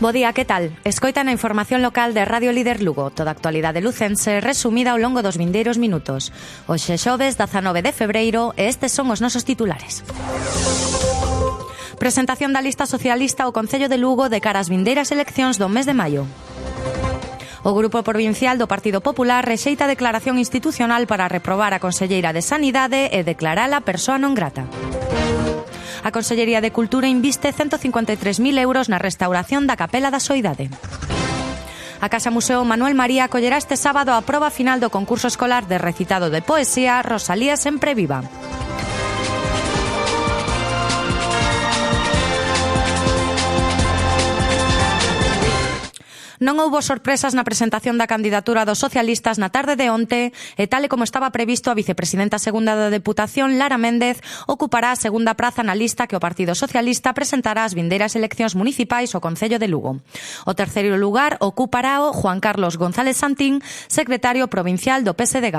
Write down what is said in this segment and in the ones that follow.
Bo día, que tal? Escoitan a información local de Radio Líder Lugo, toda a actualidade lucense resumida ao longo dos vindeiros minutos. Hoxe xoves 19 de febreiro e estes son os nosos titulares. Presentación da lista socialista ao Concello de Lugo de cara ás vindeiras eleccións do mes de maio. O Grupo Provincial do Partido Popular rexeita a declaración institucional para reprobar a Conselleira de Sanidade e declarala persoa non grata. A Consellería de Cultura inviste 153.000 euros na restauración da Capela da Soidade. A Casa Museo Manuel María acollerá este sábado a proba final do concurso escolar de recitado de poesía Rosalía sempre viva. Non houbo sorpresas na presentación da candidatura dos socialistas na tarde de onte e tal e como estaba previsto, a vicepresidenta segunda da Deputación, Lara Méndez, ocupará a segunda praza na lista que o Partido Socialista presentará ás vindeiras eleccións municipais ao Concello de Lugo. O terceiro lugar ocupará o Juan Carlos González Santín, secretario provincial do PSDG.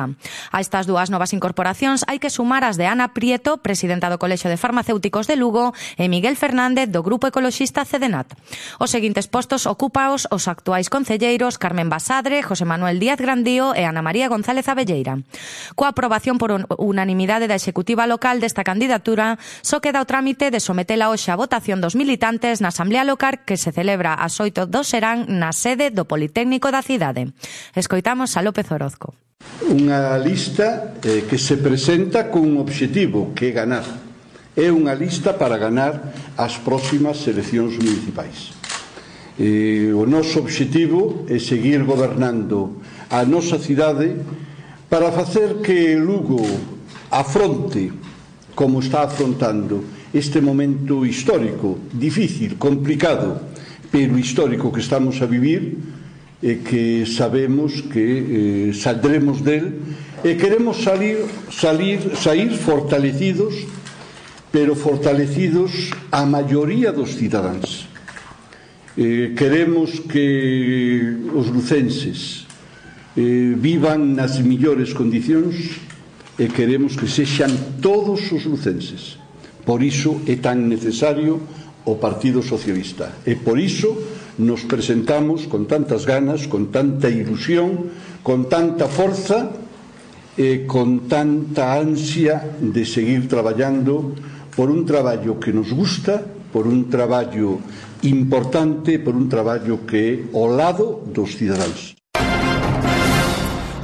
A estas dúas novas incorporacións hai que sumar as de Ana Prieto, presidenta do Colexio de Farmacéuticos de Lugo, e Miguel Fernández, do Grupo Ecoloxista CDNAT. Os seguintes postos ocúpaos os actuais concelleiros Carmen Basadre, José Manuel Díaz Grandío e Ana María González Abelleira. Coa aprobación por unanimidade da executiva local desta candidatura, só queda o trámite de sometela hoxe a votación dos militantes na Asamblea Local que se celebra ás 8 do serán na sede do Politécnico da cidade. Escoitamos a López Orozco. Unha lista que se presenta con un obxectivo, que é ganar. É unha lista para ganar as próximas eleccións municipais. O noso obxectivo é seguir gobernando a nosa cidade para facer que Lugo afronte, como está afrontando, este momento histórico, difícil, complicado, pero histórico que estamos a vivir e que sabemos que saldremos del e queremos sair fortalecidos, pero fortalecidos a maioría dos cidadáns. Queremos que os lucenses vivan nas millores condicións e queremos que sexan todos os lucenses. Por iso é tan necesario o Partido Socialista e por iso nos presentamos con tantas ganas, con tanta ilusión, con tanta forza e con tanta ansia de seguir traballando por un traballo que nos gusta, por un traballo importante, por un traballo que é ao lado dos cidadáns.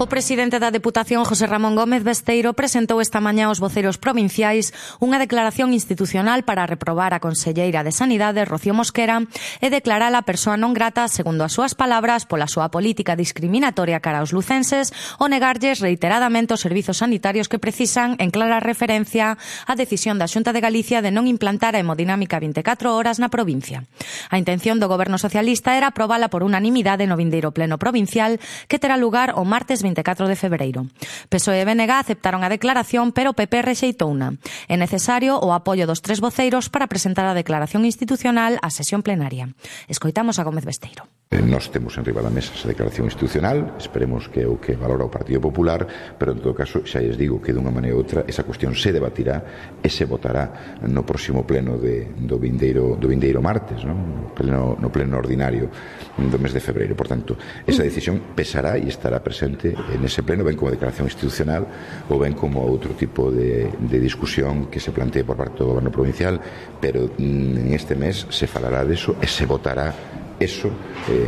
O presidente da Deputación, José Ramón Gómez Besteiro, presentou esta mañá aos voceros provinciais unha declaración institucional para reprobar a Conselleira de Sanidade, Rocío Mosquera, e declarala persoa non grata, segundo as súas palabras, pola súa política discriminatoria cara aos lucenses ou negarlles reiteradamente os servizos sanitarios que precisan, en clara referencia á decisión da Xunta de Galicia de non implantar a hemodinámica 24 horas na provincia. A intención do Goberno Socialista era aprobala por unanimidade no vindeiro pleno provincial que terá lugar o martes 24 de febreiro. PSOE e BNG aceptaron a declaración, pero o PP rexeitouna. É necesario o apoio dos tres voceiros para presentar a declaración institucional á sesión plenaria. Escoitamos a Gómez Besteiro. Nós temos en riba da mesa esa declaración institucional, esperemos que é o que valora o Partido Popular, pero en todo caso xa lles digo que dunha maneira ou outra esa cuestión se debatirá e se votará no próximo pleno do vindeiro martes, no pleno ordinario do mes de febreiro. Por tanto, esa decisión pesará e estará presente en ese pleno, ben como declaración institucional ou ben como outro tipo de discusión que se plantee por parte do Goberno Provincial, pero en este mes se falará deso e se votará eso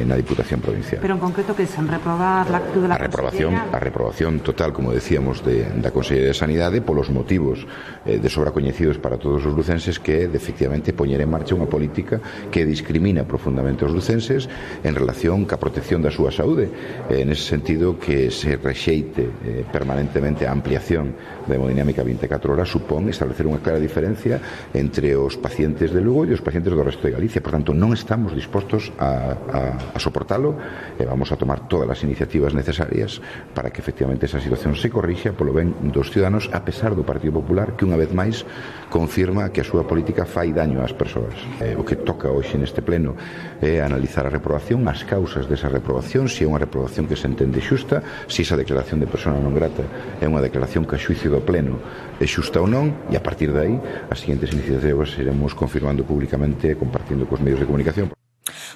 na Diputación Provincial. Pero en concreto que sen reprobar la actitud da a reprobación total, como decíamos, da Consellería de Sanidade polos motivos de sobra coñecidos para todos os lucenses, que é de efectivamente poñer en marcha unha política que discrimina profundamente os lucenses en relación ca protección da súa saúde. En ese sentido, que se rexeite permanentemente a ampliación da hemodinámica 24 horas supón establecer unha clara diferencia entre os pacientes de Lugo e os pacientes do resto de Galicia. Por tanto, non estamos dispostos a soportalo e vamos a tomar todas as iniciativas necesarias para que efectivamente esa situación se corrixa polo ben dos ciudadanos, a pesar do Partido Popular, que unha vez máis confirma que a súa política fai daño ás persoas. O que toca hoxe neste pleno é analizar a reprobación, as causas desa reprobación, se é unha reprobación que se entende xusta, se esa declaración de persona non grata é unha declaración que a xuicio do pleno é xusta ou non, e a partir de aí as seguintes iniciativas iremos confirmando públicamente e compartindo cos medios de comunicación.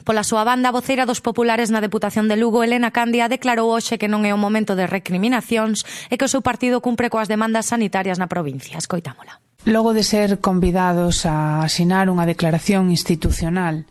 Pola súa banda, a voceira dos populares na Deputación de Lugo, Elena Candia, declarou hoxe que non é o momento de recriminacións e que o seu partido cumpre coas demandas sanitarias na provincia. Escoitámola. Logo de ser convidados a asinar unha declaración institucional,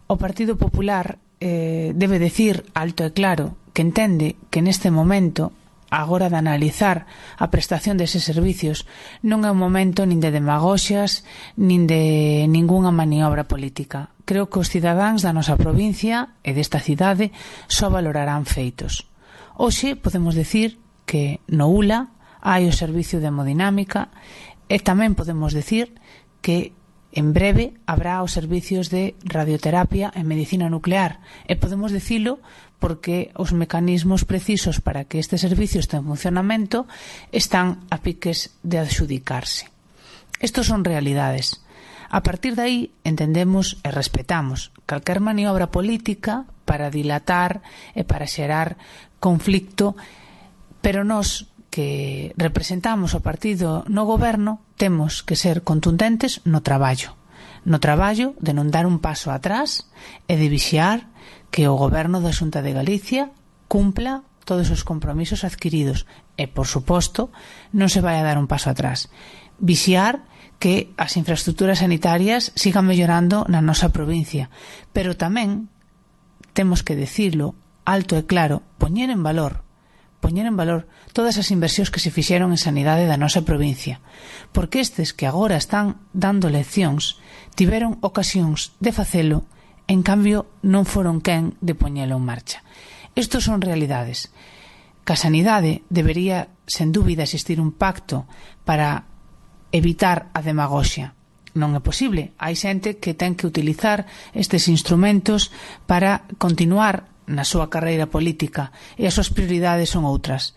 o Partido Popular debe decir alto e claro que entende que neste momento, agora de analizar a prestación deses servicios, non é un momento nin de demagoxias nin de ningunha maniobra política. Creo que os cidadáns da nosa provincia e desta cidade só valorarán feitos. Hoxe podemos decir que no ULA hai o servicio de hemodinámica e tamén podemos decir que en breve habrá os servicios de radioterapia e medicina nuclear. E podemos dicilo porque os mecanismos precisos para que este servicio este en funcionamento están a piques de adxudicarse. Estos son realidades. A partir de aí entendemos e respetamos calquer maniobra política para dilatar e para xerar conflicto, pero nós que representamos o partido no goberno temos que ser contundentes no traballo de non dar un paso atrás e de vixiar que o goberno da Xunta de Galicia cumpla todos os compromisos adquiridos e, por suposto, non se vai a dar un paso atrás. Vixiar que as infraestructuras sanitarias sigan mellorando na nosa provincia, pero tamén temos que decirlo alto e claro, poñer en valor todas as inversións que se fixeron en sanidade da nosa provincia, porque estes que agora están dando leccións tiveron ocasións de facelo, en cambio non foron quen de poñelo en marcha. Estos son realidades. Que a sanidade debería, sen dúbida, existir un pacto para evitar a demagoxia. Non é posible. Hai xente que ten que utilizar estes instrumentos para continuar na súa carreira política e as súas prioridades son outras.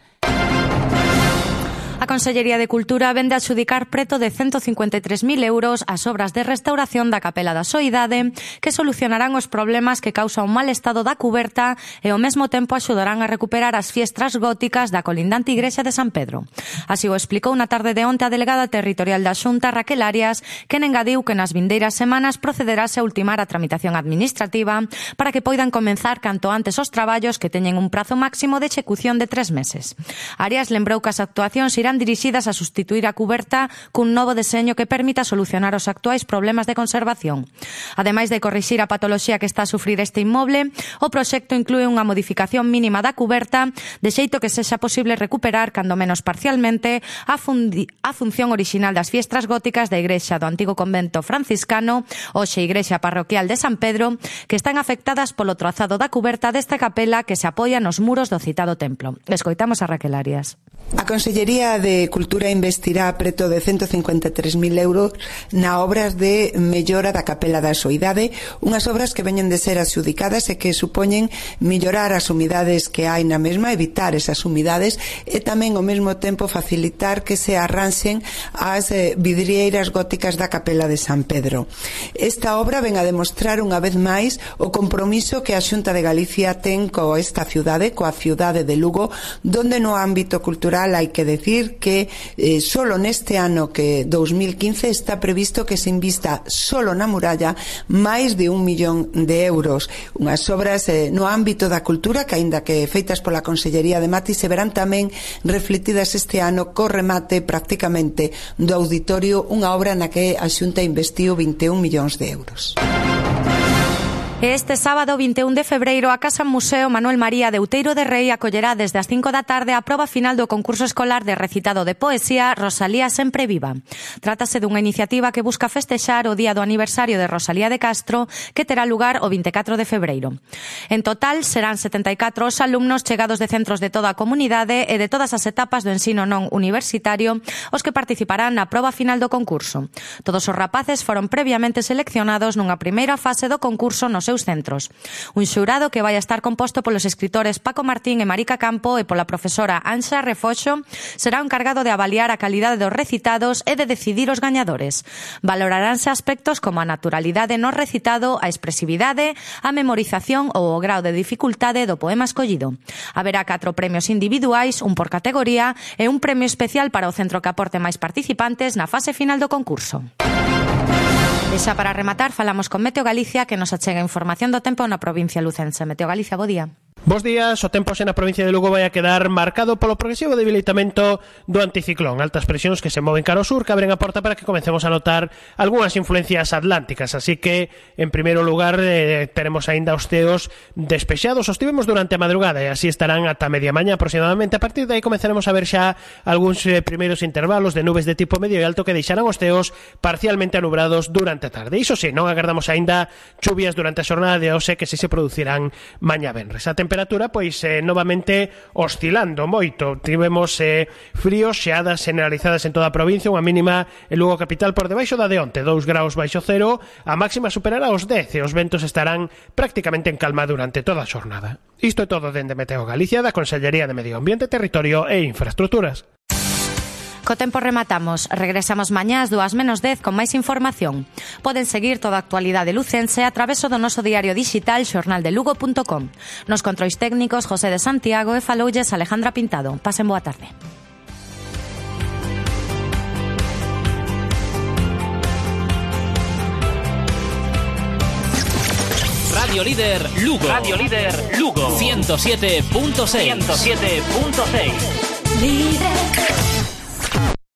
A Consellería de Cultura vende a adxudicar preto de 153.000 euros as obras de restauración da Capela da Soidade que solucionarán os problemas que causa un mal estado da cuberta e ao mesmo tempo axudarán a recuperar as fiestras góticas da colindante igrexa de San Pedro. Así o explicou na tarde de onte a delegada territorial da Xunta, Raquel Arias, que engadiu que nas vindeiras semanas procederase a ultimar a tramitación administrativa para que poidan comenzar canto antes os traballos que teñen un prazo máximo de execución de 3 meses. Arias lembrou que as actuacións irán dirixidas a sustituir a cuberta cun novo deseño que permita solucionar os actuais problemas de conservación. Ademais de corrixir a patoloxía que está a sufrir este inmoble, o proxecto inclúe unha modificación mínima da cuberta de xeito que sexa posible recuperar, cando menos parcialmente, a función orixinal das fiestras góticas da igrexa do antigo convento franciscano, hoxe igrexa parroquial de San Pedro, que están afectadas polo trazado da cuberta desta capela que se apoia nos muros do citado templo. Escoitamos a Raquel Arias. A Consellería de Cultura investirá preto de 153.000 euros na obras de mellora da Capela da Soidade, unhas obras que veñen de ser adxudicadas e que supoñen mellorar as humidades que hai na mesma, evitar esas humidades e tamén ao mesmo tempo facilitar que se arranxen as vidrieiras góticas da Capela de San Pedro. Esta obra ven a demostrar unha vez máis o compromiso que a Xunta de Galicia ten coa esta ciudade, coa ciudade de Lugo, donde no ámbito cultural hai que decir que solo neste ano que 2015 está previsto que se invista solo na muralla máis de 1 millón de euros. Unhas obras no ámbito da cultura que, aínda que feitas pola Consellería de Mati, se verán tamén refletidas este ano co remate prácticamente do auditorio, unha obra na que a Xunta investiu 21 millóns de euros. Este sábado 21 de febreiro a Casa Museo Manuel María de Outeiro de Rei acollerá desde as 5 da tarde a proba final do concurso escolar de recitado de poesía Rosalía Sempre Viva. Trátase dunha iniciativa que busca festexar o día do aniversario de Rosalía de Castro, que terá lugar o 24 de febreiro. En total serán 74 os alumnos chegados de centros de toda a comunidade e de todas as etapas do ensino non universitario os que participarán na proba final do concurso. Todos os rapaces foron previamente seleccionados nunha primeira fase do concurso nos seus centros. Un xurado que vai a estar composto polos escritores Paco Martín e Marica Campo e pola profesora Anxa Refoxo será o encargado de avaliar a calidade dos recitados e de decidir os gañadores. Valoraránse aspectos como a naturalidade no recitado, a expresividade, a memorización ou o grao de dificultade do poema escollido. Haberá 4 premios individuais, un por categoría e un premio especial para o centro que aporte máis participantes na fase final do concurso. E xa para rematar, falamos con Meteo Galicia, que nos achega información do tempo na provincia lucense. Meteo Galicia, bo día. Bos días, o tempo na provincia de Lugo vai a quedar marcado polo progresivo debilitamento do anticiclón. Altas presións que se moven cara ao sur que abren a porta para que comecemos a notar algunhas influencias atlánticas. Así que, en primeiro lugar, teremos aínda os ceos despexados. Os tivemos durante a madrugada e así estarán ata media mañá aproximadamente. A partir de aí comezaremos a ver xa algúns primeiros intervalos de nubes de tipo medio e alto que deixarán os ceos parcialmente anubrados durante a tarde. Iso sí, non agardamos aínda chuvias durante a xornada de hoxe que se producirán mañá venres. A temperatura, pois, novamente oscilando moito. Tivemos fríos, xeadas generalizadas en toda a provincia, unha mínima en Lugo capital por debaixo da de onte, 2 graus baixo cero, a máxima superará os 10 e os ventos estarán prácticamente en calma durante toda a xornada. Isto é todo dende Meteo Galicia, da Consellería de Medio Ambiente, Territorio e Infraestructuras. Co tempo rematamos. Regresamos mañá ás 2:10 con máis información. Poden seguir toda a actualidade lucense a traveso do noso diario digital xornaldelugo.com. Nos controis técnicos José de Santiago e faloulles Alejandra Pintado. Pasen boa tarde. Radio Líder Lugo. Radio Líder Lugo. 107.6. 107.6. Líder.